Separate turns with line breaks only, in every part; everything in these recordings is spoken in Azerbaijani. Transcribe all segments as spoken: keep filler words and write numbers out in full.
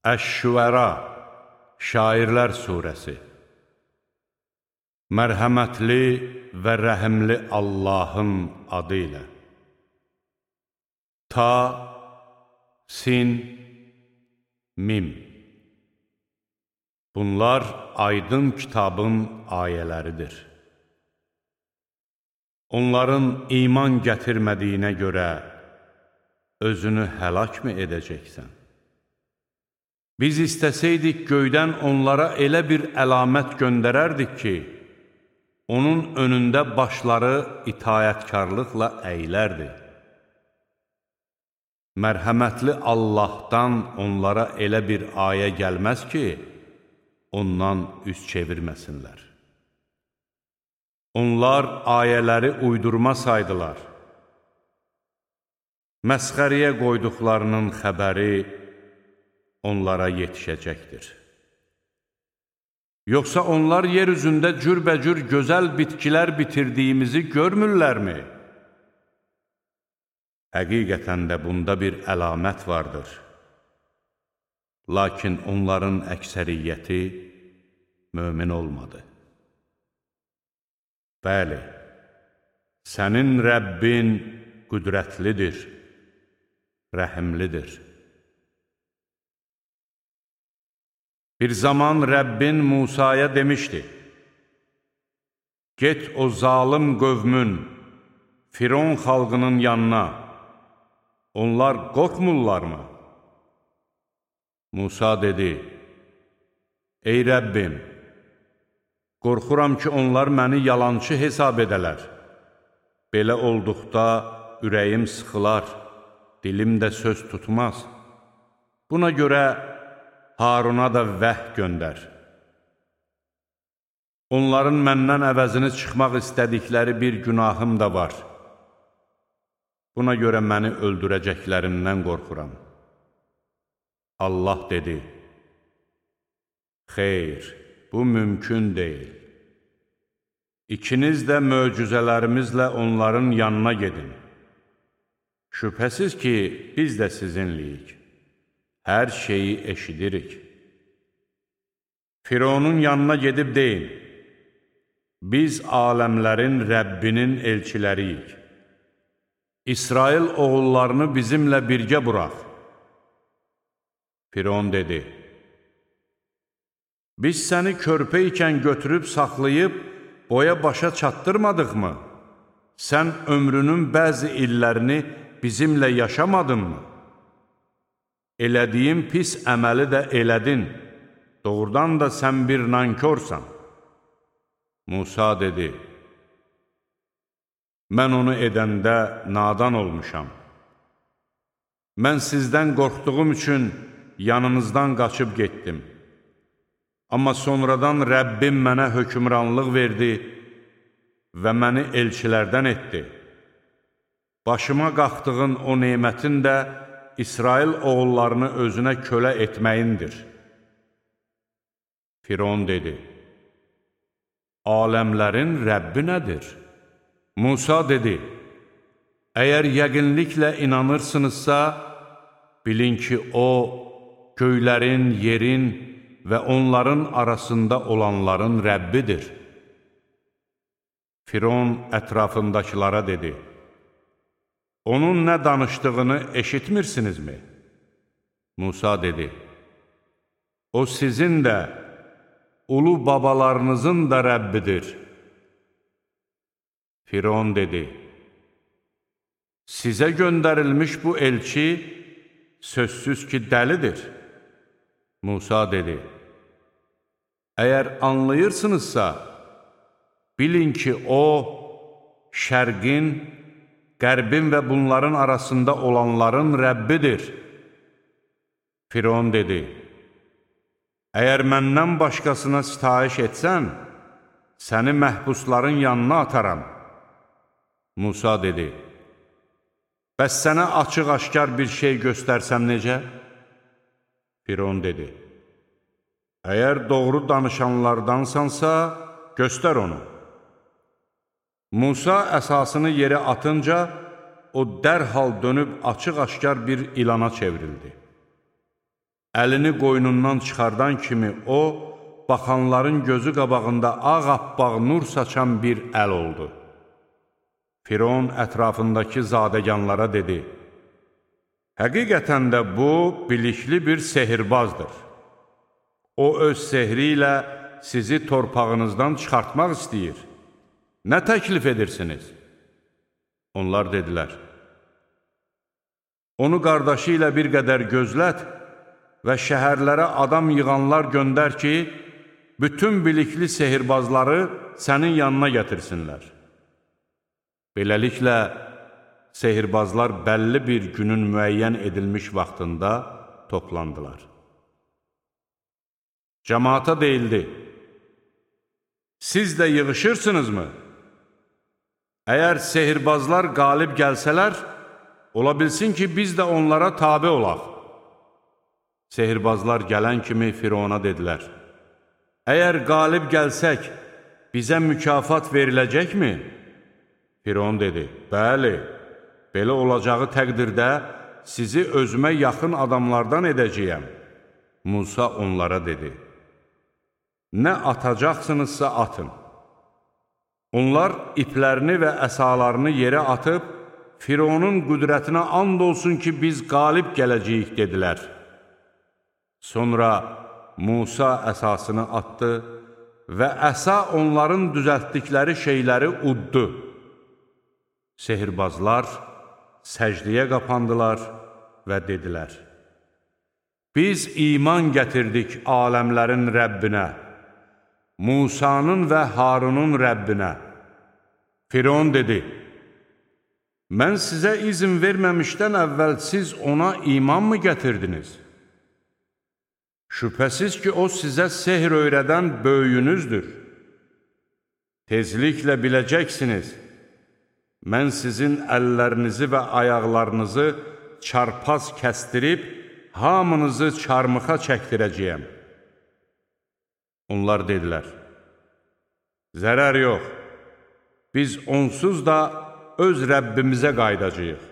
Əş-Şüəra, Şairlər Suresi. Mərhəmətli və rəhimli Allahın adı ilə. Ta, sin, mim. Bunlar aydın kitabın ayələridir. Onların iman gətirmədiyinə görə özünü həlak mı edəcəksən? Biz istəsəydik göydən onlara elə bir əlamət göndərərdik ki, onun önündə başları itayətkarlıqla əyilərdi. Mərhəmətli Allahdan onlara elə bir ayə gəlməz ki, ondan üz çevirməsinlər. Onlar ayələri uydurma saydılar. Məsxəriyə qoyduqlarının xəbəri onlara yetişəcəkdir. Yoxsa onlar yer üzündə cürbəcür gözəl bitkilər bitirdiyimizi görmürlərmi? Həqiqətən də bunda bir əlamət vardır. Lakin onların əksəriyyəti mömin olmadı. Bəli, sənin Rəbbin qüdrətlidir, rəhimlidir. Bir zaman Rəbbin Musaya demişdi, get o zalım qövmün, Firon xalqının yanına, onlar qorxmurlarmı? Musa dedi, ey Rəbbim, qorxuram ki, onlar məni yalançı hesab edələr. Belə olduqda ürəyim sıxılar, dilim də söz tutmaz. Buna görə Haruna da vəh göndər. Onların məndən əvəzini çıxmaq istədikləri bir günahım da var. Buna görə məni öldürəcəklərindən qorxuram. Allah dedi, xeyr, bu mümkün deyil. İkiniz də möcüzələrimizlə onların yanına gedin. Şübhəsiz ki, biz də sizinliyik. Hər şeyi eşidirik. Fironun yanına gedib deyin, biz aləmlərin Rəbbinin elçiləriyik. İsrail oğullarını bizimlə birgə buraq. Firon dedi, biz səni körpə ikən götürüb saxlayıb boya başa çatdırmadıq mı? Sən ömrünün bəzi illərini bizimlə yaşamadın mı? Elədiyin pis əməli də elədin, doğrudan da sən bir nankorsan. Musa dedi, mən onu edəndə nadan olmuşam. Mən sizdən qorxduğum üçün yanınızdan qaçıb getdim. Amma sonradan Rəbbim mənə hökmranlıq verdi və məni elçilərdən etdi. Başıma qalxdığın o nemətin də İsrail oğullarını özünə kölə etməyindir. Firon dedi, aləmlərin Rəbbi nədir? Musa dedi, əgər yəqinliklə inanırsınızsa, bilin ki, o, göylərin, yerin və onların arasında olanların Rəbbidir. Firon ətrafındakılara dedi, onun nə danışdığını eşitmirsinizmi? Musa dedi, o sizin də, ulu babalarınızın da Rəbbidir. Firon dedi, sizə göndərilmiş bu elçi sözsüz ki, dəlidir. Musa dedi, əgər anlayırsınızsa, bilin ki, o, şərqin, qərbin və bunların arasında olanların Rəbbidir. Firon dedi, əgər məndən başqasına sitayiş etsən, səni məhbusların yanına ataram. Musa dedi, bəs sənə açıq-aşkar bir şey göstərsəm necə? Firon dedi, əgər doğru danışanlardansansa, göstər onu. Musa əsasını yerə atınca, o dərhal dönüb açıq-aşkar bir ilana çevrildi. əlini qoynundan çıxardan kimi o, baxanların gözü qabağında ağappaq nur saçan bir əl oldu. Firon ətrafındakı zadəganlara dedi, həqiqətən də bu, bilikli bir sehirbazdır. O, öz sehri ilə sizi torpağınızdan çıxartmaq istəyir. Nə təklif edirsiniz? Onlar dedilər, onu qardaşı ilə bir qədər gözlət və şəhərlərə adam yığanlar göndər ki, bütün bilikli sehirbazları sənin yanına gətirsinlər. Beləliklə, sehirbazlar bəlli bir günün müəyyən edilmiş vaxtında toplandılar. Cəmaata deyildi, siz də yığışırsınızmı? Əgər sehirbazlar qalib gəlsələr, ola bilsin ki, biz də onlara tabe olaq. Sehirbazlar gələn kimi Firona dedilər, əgər qalib gəlsək, bizə mükafat veriləcəkmi? Firon dedi, bəli, belə olacağı təqdirdə sizi özümə yaxın adamlardan edəcəyəm. Musa onlara dedi, nə atacaqsınızsa atın. Onlar iplərini və əsalarını yerə atıb, Fironun qüdrətinə and olsun ki, biz qalib gələcəyik, dedilər. Sonra Musa əsasını atdı və əsa onların düzəltdikləri şeyləri uddu. Sehirbazlar səcdiyə qapandılar və dedilər, biz iman gətirdik aləmlərin Rəbbinə, Musanın və Harunun Rəbbinə. Firon dedi, mən sizə izin verməmişdən əvvəl siz ona iman mı gətirdiniz? Şübhəsiz ki, o sizə sehr öyrədən böyüyünüzdür. Tezliklə biləcəksiniz, mən sizin əllərinizi və ayaqlarınızı çarpaz kəstirib, hamınızı çarmıxa çəkdirəcəyəm. Onlar dedilər, zərər yox, biz onsuz da öz Rəbbimizə qaydacağıq.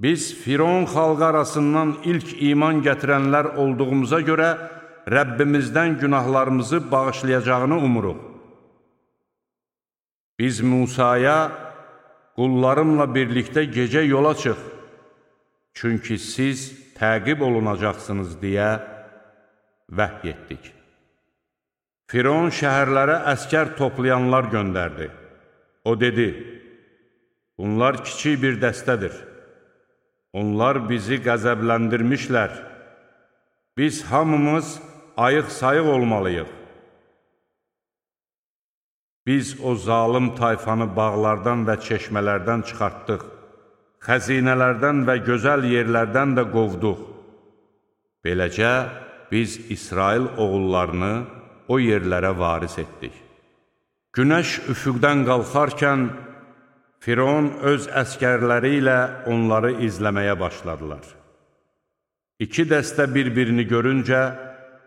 Biz Firon xalqı arasından ilk iman gətirənlər olduğumuza görə Rəbbimizdən günahlarımızı bağışlayacağını umuruq. Biz Musaya, qullarımla birlikdə gecə yola çıx, çünki siz təqib olunacaqsınız deyə vəhy etdik. Firon şəhərlərə əskər toplayanlar göndərdi. O dedi, bunlar kiçik bir dəstədir. Onlar bizi qəzəbləndirmişlər. Biz hamımız ayıq-sayıq olmalıyıq. Biz o zalım tayfanı bağlardan və çeşmələrdən çıxartdıq, xəzinələrdən və gözəl yerlərdən də qovduq. Beləcə, biz İsrail oğullarını o yerlərə varis etdik. Günəş üfüqdən qalxarkən, Firon öz əskərləri ilə onları izləməyə başladılar. İki dəstə bir-birini görüncə,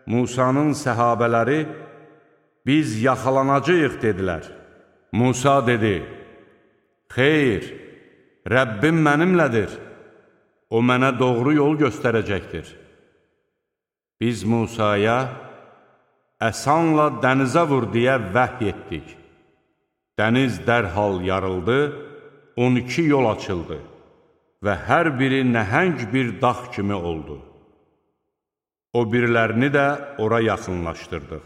Musanın səhabələri, biz yaxalanacağıq, dedilər. Musa dedi, xeyr, Rəbbim mənimlədir, o mənə doğru yol göstərəcəkdir. Biz Musaya, əsanla dənizə vur deyə vəhy etdik. Dəniz dərhal yarıldı, on iki yol açıldı və hər biri nəhəng bir dağ kimi oldu. O birilərini də ora yaxınlaşdırdıq.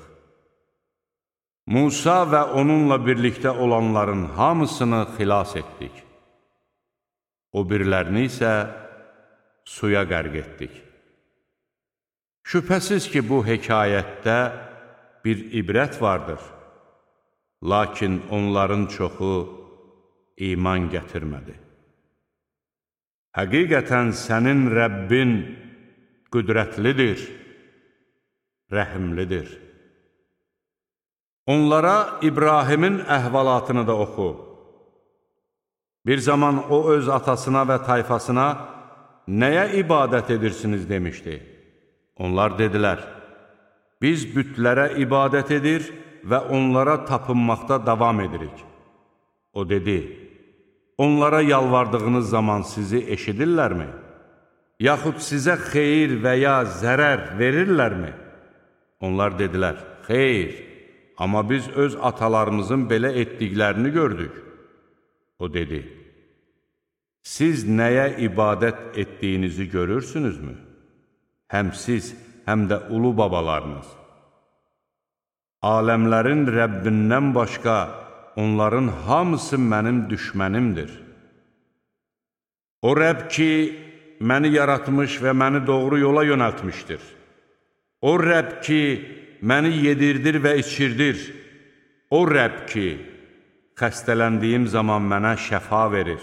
Musa və onunla birlikdə olanların hamısını xilas etdik. O birilərini isə suya qərq etdik. Şübhəsiz ki, bu hekayətdə bir ibrət vardır. Lakin onların çoxu iman gətirmədi. Həqiqətən sənin Rəbbin qüdrətlidir, rəhimlidir. Onlara İbrahimin əhvalatını da oxu. Bir zaman o öz atasına və tayfasına nəyə ibadət edirsiniz demişdi. Onlar dedilər, biz bütlərə ibadət edir və onlara tapınmaqda davam edirik. O dedi, onlara yalvardığınız zaman sizi eşidirlərmi? yaxud sizə xeyir və ya zərər verirlərmi? Onlar dedilər, xeyr, amma biz öz atalarımızın belə etdiklərini gördük. O dedi, siz nəyə ibadət etdiyinizi görürsünüzmü? Həm siz, həm də ulu babalarınız. Aləmlərin Rəbbindən başqa onların hamısı mənim düşmənimdir. O Rəbb ki, məni yaratmış və məni doğru yola yönəltmişdir. O Rəbb ki, məni yedirdir və içirdir. O Rəbb ki, xəstələndiyim zaman mənə şəfa verir.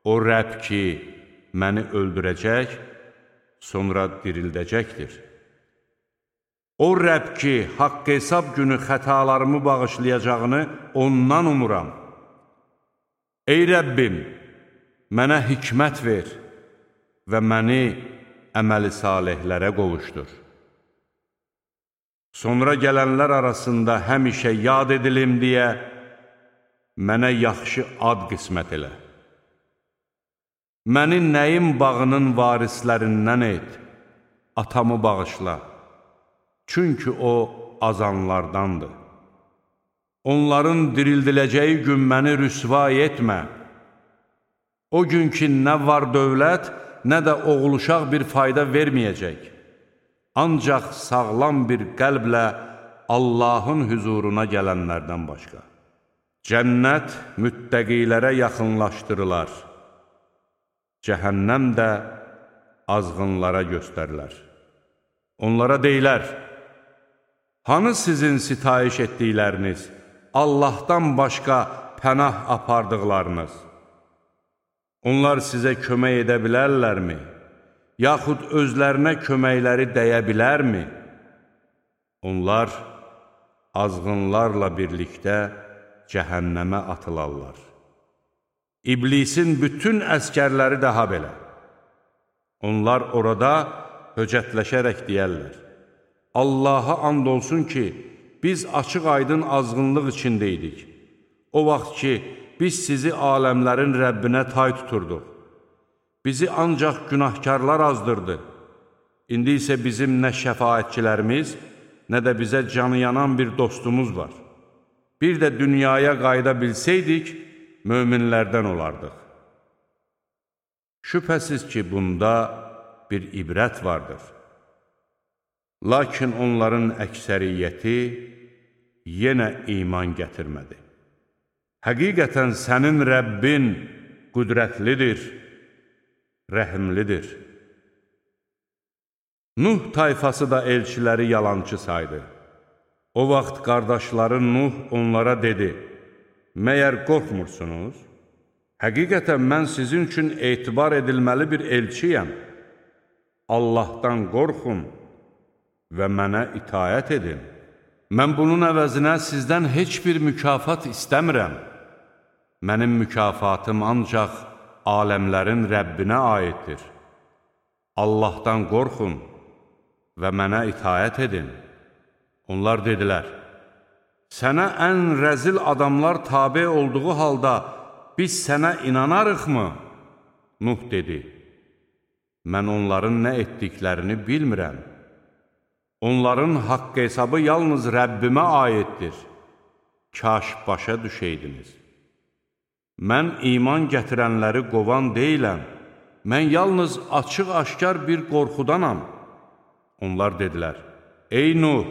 O Rəbb ki, məni öldürəcək, sonra dirildəcəkdir. O Rəbb ki, haqq hesab günü xətalarımı bağışlayacağını ondan umuram. Ey Rəbbim, mənə hikmət ver və məni əməli salihlərə qovuşdur. Sonra gələnlər arasında həmişə yad edilim deyə mənə yaxşı ad qismət elə. Məni nəyim bağının varislərindən et, atamı bağışla, çünki o azanlardandır. Onların dirildiləcəyi gün məni rüsva etmə. O gün ki, nə var dövlət, nə də oğul-uşaq bir fayda verməyəcək. Ancaq sağlam bir qəlblə Allahın hüzuruna gələnlərdən başqa. Cənnət müttəqilərə yaxınlaşdırılar. Cəhənnəm də azğınlara göstərilər. Onlara deyilər, hanı sizin sitayiş etdikləriniz, Allahdan başqa pənah apardıqlarınız? Onlar sizə kömək edə bilərlərmi? Yaxud özlərinə köməkləri dəyə bilərmi? Onlar azğınlarla birlikdə cəhənnəmə atılarlar. İblisin bütün əskərləri daha belə. Onlar orada höcətləşərək deyərlər, Allaha and olsun ki, biz açıq-aydın azğınlıq içindəydik. O vaxt ki, biz sizi aləmlərin Rəbbinə tay tuturduq. Bizi ancaq günahkarlar azdırdı. İndi isə bizim nə şəfaətçilərimiz, nə də bizə canı yanan bir dostumuz var. Bir də dünyaya qayıda bilsəydik, möminlərdən olardıq. Şübhəsiz ki, bunda bir ibrət vardır. Lakin onların əksəriyyəti yenə iman gətirmədi. Həqiqətən sənin Rəbbin qüdrətlidir, rəhimlidir. Nuh tayfası da elçiləri yalançı saydı. O vaxt qardaşları Nuh onlara dedi, məyər qorxmursunuz? Həqiqətən mən sizin üçün etibar edilməli bir elçiyəm. Allahdan qorxun və mənə itayət edin. Mən bunun əvəzinə sizdən heç bir mükafat istəmirəm. Mənim mükafatım ancaq aləmlərin Rəbbinə aiddir. Allahdan qorxun və mənə itayət edin. Onlar dedilər, sənə ən rəzil adamlar tabe olduğu halda biz sənə inanarıqmı? Nuh dedi, mən onların nə etdiklərini bilmirəm. Onların haqq hesabı yalnız Rəbbimə aiddir. Kaş başa düşəydiniz. Mən iman gətirənləri qovan deyiləm. Mən yalnız açıq-aşkar bir qorxudanam. Onlar dedilər, ey Nuh,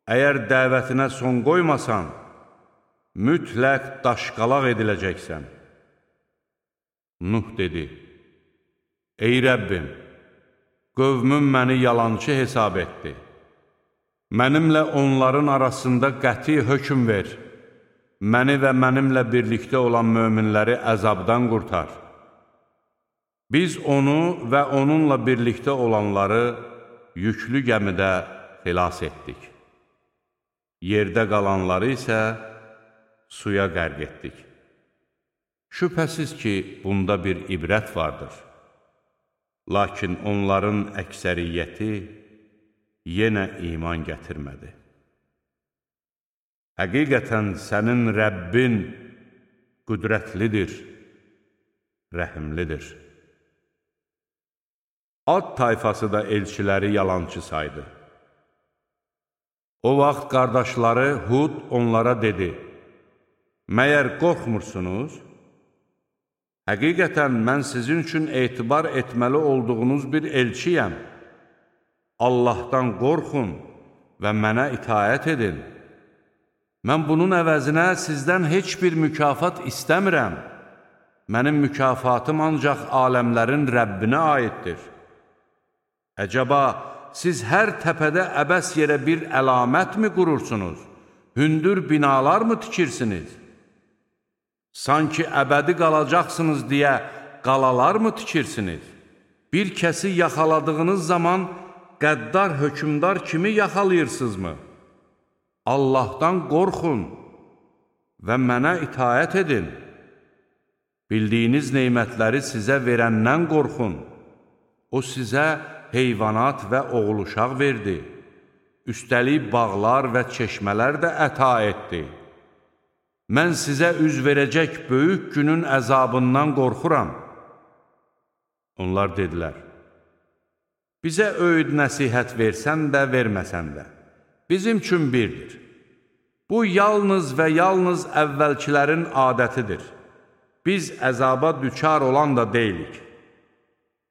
əgər dəvətinə son qoymasan, mütləq daşqalaq ediləcəksən. Nuh dedi, ey Rəbbim, qövmüm məni yalancı hesab etdi. Mənimlə onların arasında qəti hökm ver. Məni və mənimlə birlikdə olan möminləri əzabdan qurtar. Biz onu və onunla birlikdə olanları yüklü gəmidə xilas etdik. Yerdə qalanları isə suya qərq etdik. Şübhəsiz ki, bunda bir ibrət vardır. Lakin onların əksəriyyəti yenə iman gətirmədi. Həqiqətən sənin Rəbbin qüdrətlidir, rəhimlidir. Ad tayfası da elçiləri yalançı saydı. O vaxt qardaşları Hud onlara dedi, məyər qorxmursunuz? Həqiqətən mən sizin üçün etibar etməli olduğunuz bir elçiyəm. Allahdan qorxun və mənə itaət edin. Mən bunun əvəzinə sizdən heç bir mükafat istəmirəm. Mənim mükafatım ancaq aləmlərin Rəbbinə aiddir. Əcəba, siz hər təpədə əbəs yerə bir əlamət mi qurursunuz? Hündür binalar mı tikirsiniz? Sanki əbədi qalacaqsınız deyə qalalar mı tikirsiniz? Bir kəsi yaxaladığınız zaman qəddar hökümdar kimi yaxalayırsınızmı? Allahdan qorxun və mənə itaət edin. Bildiyiniz neymətləri sizə verəndən qorxun. O sizə heyvanat və oğul uşaq verdi. Üstəlik bağlar və çeşmələr də əta etdi. Mən sizə üz verəcək böyük günün əzabından qorxuram. Onlar dedilər, bizə öyüd nəsihət versən də, verməsən də, bizim üçün birdir. Bu, yalnız və yalnız əvvəlkilərin adətidir. Biz əzaba düçar olan da deyilik.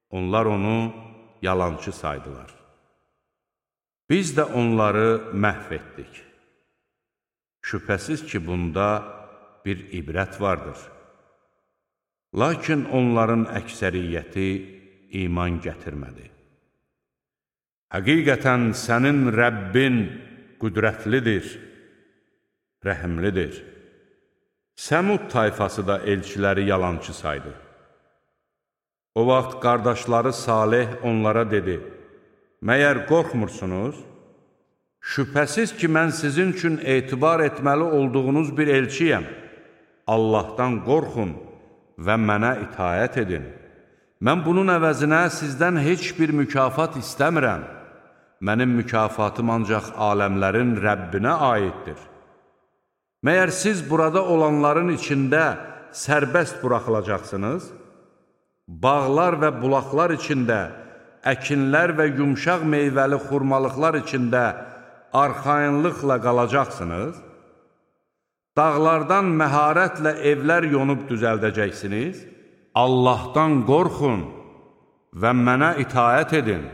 Onlar onu yalançı saydılar. Biz də onları məhv etdik. Şübhəsiz ki, bunda bir ibrət vardır. Lakin onların əksəriyyəti iman gətirmədi. Həqiqətən sənin Rəbbin qüdrətlidir, rəhimlidir. Səmud tayfası da elçiləri yalançı saydı. O vaxt qardaşları Salih onlara dedi, məyər qorxmursunuz? Şübhəsiz ki, mən sizin üçün etibar etməli olduğunuz bir elçiyəm. Allahdan qorxun və mənə itaət edin. Mən bunun əvəzinə sizdən heç bir mükafat istəmirəm. Mənim mükafatım ancaq aləmlərin Rəbbinə aiddir. Məyər siz burada olanların içində sərbəst buraxılacaqsınız? Bağlar və bulaqlar içində, əkinlər və yumşaq meyvəli xurmalıqlar içində arxayınlıqla qalacaqsınız? Dağlardan məharətlə evlər yonub düzəldəcəksiniz? Allahdan qorxun və mənə itaət edin.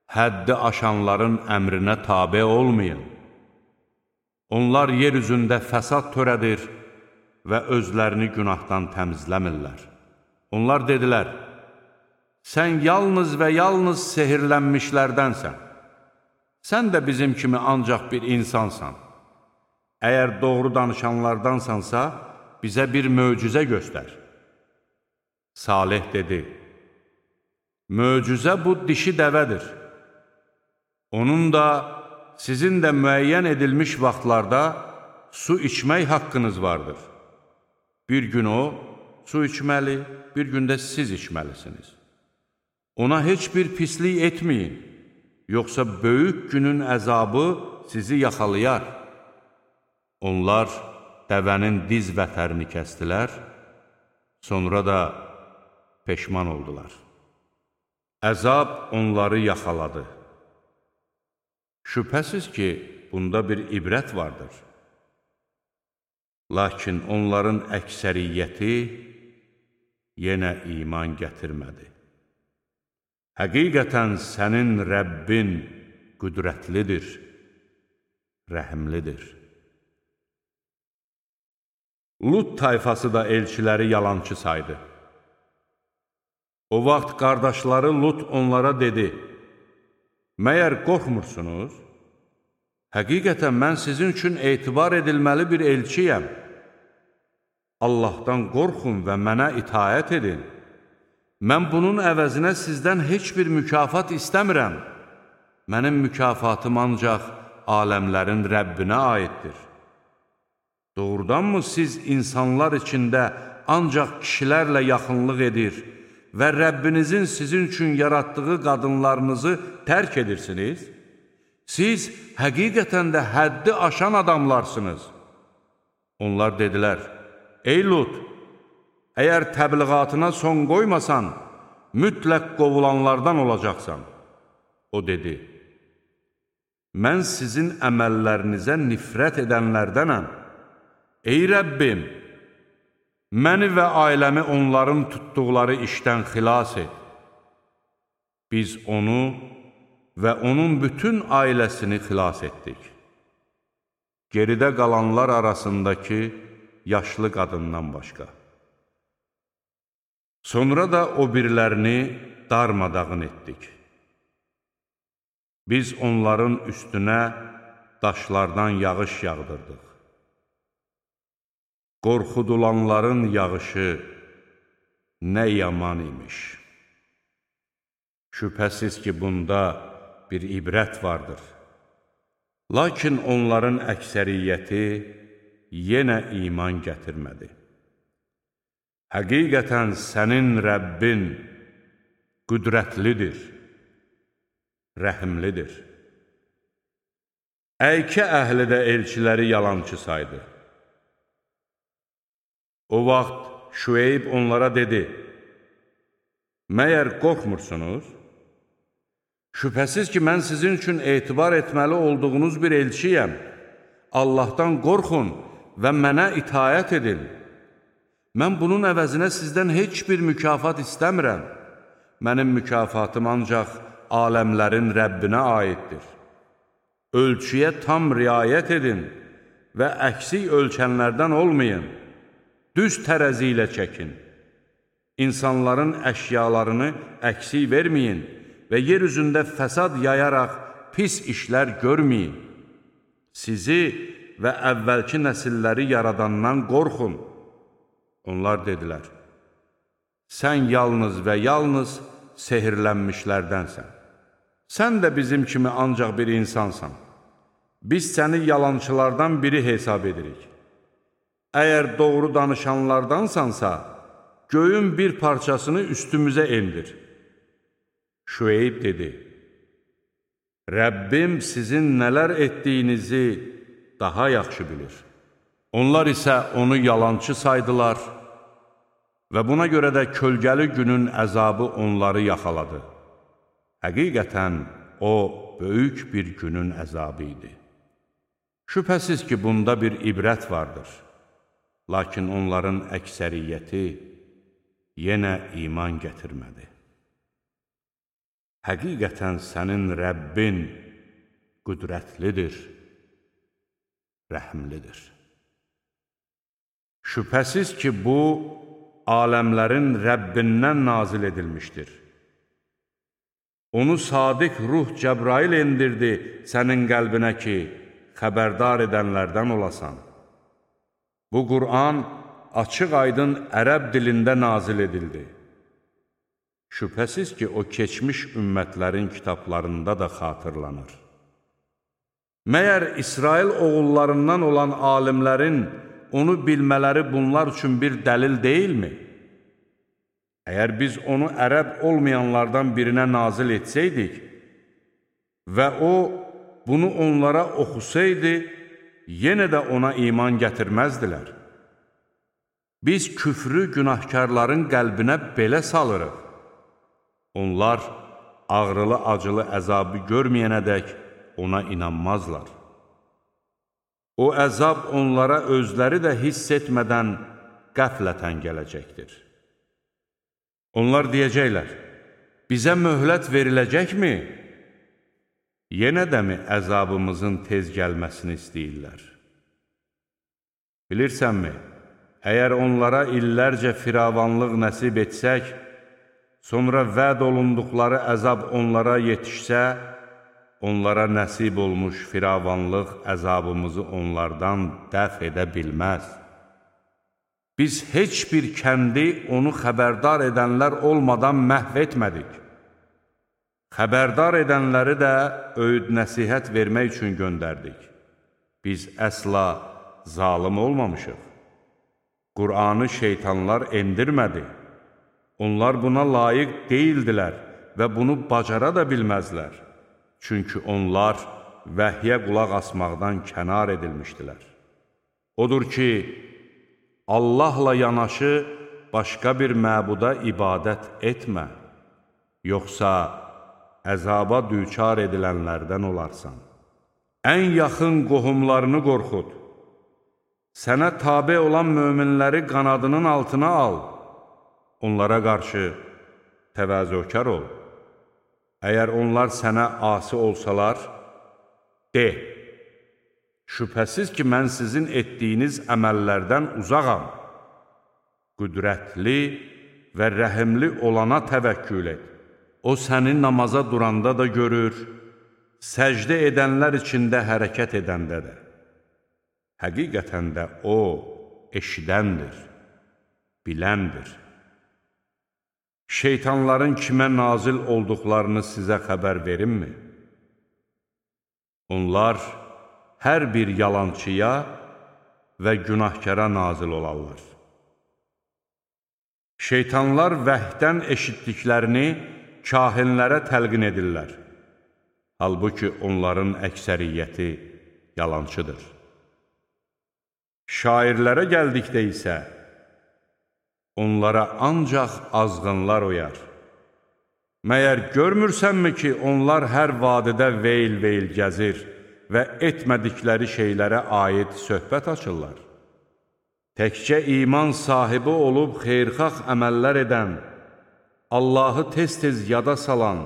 Həddi aşanların əmrinə tabe olmayın. Onlar yer üzündə fəsad törədir və özlərini günahdan təmizləmirlər. Onlar dedilər, sən yalnız və yalnız sehirlənmişlərdənsən. Sən də bizim kimi ancaq bir insansan. Əgər doğru danışanlardansansa, bizə bir möcüzə göstər. Salih dedi, möcüzə bu dişi dəvədir. Onun da sizin də müəyyən edilmiş vaxtlarda su içmək haqqınız vardır. Bir gün o, su içməli, bir gündə siz içməlisiniz. Ona heç bir pislik etməyin, yoxsa böyük günün əzabı sizi yaxalayar. Onlar dəvənin diz vətərini kəstilər, sonra da peşman oldular. Əzab onları yaxaladı. Şübhəsiz ki, bunda bir ibrət vardır. Lakin onların əksəriyyəti yenə iman gətirmədi. Həqiqətən sənin Rəbbin qüdrətlidir, rəhimlidir. Lut tayfası da elçiləri yalançı saydı. O vaxt qardaşları Lut onlara dedi, məyər qorxmursunuz? Həqiqətən mən sizin üçün etibar edilməli bir elçiyəm. Allahdan qorxun və mənə itaət edin. Mən bunun əvəzinə sizdən heç bir mükafat istəmirəm. Mənim mükafatım ancaq aləmlərin Rəbbinə aiddir. Doğrudanmı siz insanlar içində ancaq kişilərlə yaxınlıq edir və Rəbbinizin sizin üçün yaratdığı qadınlarınızı tərk edirsiniz? Siz həqiqətən də həddi aşan adamlarsınız. Onlar dedilər, ey Lut, əgər təbliğatına son qoymasan, mütləq qovulanlardan olacaqsan. O dedi, mən sizin əməllərinizə nifrət edənlərdənəm. Ey Rəbbim, məni və ailəmi onların tutduqları işdən xilas et. Biz onu və onun bütün ailəsini xilas etdik. Geridə qalanlar arasındakı yaşlı qadından başqa. Sonra da o birlərini darmadağın etdik. Biz onların üstünə daşlardan yağış yağdırdıq. Qorxudulanların yağışı nə yaman imiş. Şübhəsiz ki, bunda bir ibrət vardır. Lakin onların əksəriyyəti yenə iman gətirmədi. Həqiqətən sənin Rəbbin qüdrətlidir, rəhimlidir. Əykə əhli də elçiləri yalançı saydı. O vaxt Şüeyb onlara dedi, məyər qorxmursunuz? Şübhəsiz ki, mən sizin üçün etibar etməli olduğunuz bir elçiyəm. Allahdan qorxun və mənə itaət edin. Mən bunun əvəzinə sizdən heç bir mükafat istəmirəm. Mənim mükafatım ancaq aləmlərin Rəbbinə aiddir. Ölçüyə tam riayət edin və əksik ölçənlərdən olmayın. Düz tərəzi ilə çəkin. İnsanların əşyalarını əksik verməyin və yer üzündə fəsad yayaraq pis işlər görməyin. Sizi və əvvəlki nəsilləri yaradandan qorxun. Onlar dedilər, sən yalnız və yalnız sehirlənmişlərdənsən. Sən də bizim kimi ancaq bir insansan. Biz səni yalançılardan biri hesab edirik. Əgər doğru danışanlardansansa, göyün bir parçasını üstümüzə endir. Şüeyb dedi, Rəbbim sizin nələr etdiyinizi daha yaxşı bilir. Onlar isə onu yalançı saydılar və buna görə də kölgəli günün əzabı onları yaxaladı. Həqiqətən, o, böyük bir günün əzabı idi. Şübhəsiz ki, bunda bir ibrət vardır. Lakin onların əksəriyyəti yenə iman gətirmədi. Həqiqətən sənin Rəbbin qüdrətlidir, rəhimlidir. Şübhəsiz ki, bu, aləmlərin Rəbbindən nazil edilmişdir. Onu sadiq ruh Cəbrail endirdi sənin qəlbinə ki, xəbərdar edənlərdən olasan. Bu Qur'an açıq-aydın ərəb dilində nazil edildi. Şübhəsiz ki, o keçmiş ümmətlərin kitablarında da xatırlanır. Məyər İsrail oğullarından olan alimlərin onu bilmələri bunlar üçün bir dəlil deyilmi? Əgər biz onu ərəb olmayanlardan birinə nazil etsəydik və o bunu onlara oxusaydı, yenə də ona iman gətirməzdilər. Biz küfrü günahkarların qəlbinə belə salırıq. Onlar ağrılı-acılı əzabı görməyənədək ona inanmazlar. O əzab onlara özləri də hiss etmədən qəflətən gələcəkdir. Onlar deyəcəklər, bizə möhlət veriləcəkmi? Yenə də mi əzabımızın tez gəlməsini istəyirlər? Bilirsənmi, əgər onlara illərcə firavanlıq nəsib etsək, sonra vəd olunduqları əzab onlara yetişsə, onlara nəsib olmuş firavanlıq əzabımızı onlardan dəf edə bilməz. Biz heç bir kəndi onu xəbərdar edənlər olmadan məhv etmədik. Xəbərdar edənləri də öyüd nəsihət vermək üçün göndərdik. Biz əsla zalım olmamışıq. Qur'anı şeytanlar endirmədi. Onlar buna layiq deyildilər və bunu bacara da bilməzlər. Çünki onlar vəhyə qulaq asmaqdan kənar edilmişdilər. Odur ki, Allahla yanaşı başqa bir məbuda ibadət etmə. yoxsa əzaba düçar edilənlərdən olarsan. Ən yaxın qohumlarını qorxud. Sənə tabe olan möminləri qanadının altına al. Onlara qarşı təvazökar ol. Əgər onlar sənə asi olsalar, de, şübhəsiz ki, mən sizin etdiyiniz əməllərdən uzağam. Qüdrətli və rəhimli olana təvəkkül et. O səni namaza duranda da görür, səcdə edənlər içində hərəkət edəndə də. Həqiqətən də O eşidəndir, biləndir. Şeytanların kimə nazil olduqlarını sizə xəbər verimmi? Onlar hər bir yalançıya və günahkara nazil olarlar. Şeytanlar vəhdən eşitdiklərini kahinlərə təlqin edirlər. Halbuki onların əksəriyyəti yalançıdır. Şairlərə gəldikdə isə, onlara ancaq azğınlar oyar. Məyər görmürsənmi ki, onlar hər vadidə veyl-veyl gəzir və etmədikləri şeylərə aid söhbət açırlar? Təkcə iman sahibi olub xeyrxax əməllər edən, Allahı tez-tez yada salan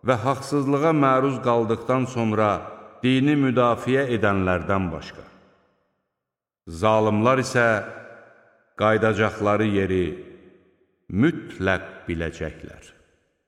və haqsızlığa məruz qaldıqdan sonra dini müdafiə edənlərdən başqa. Zalimlar isə qaydacaqları yeri mütləq biləcəklər.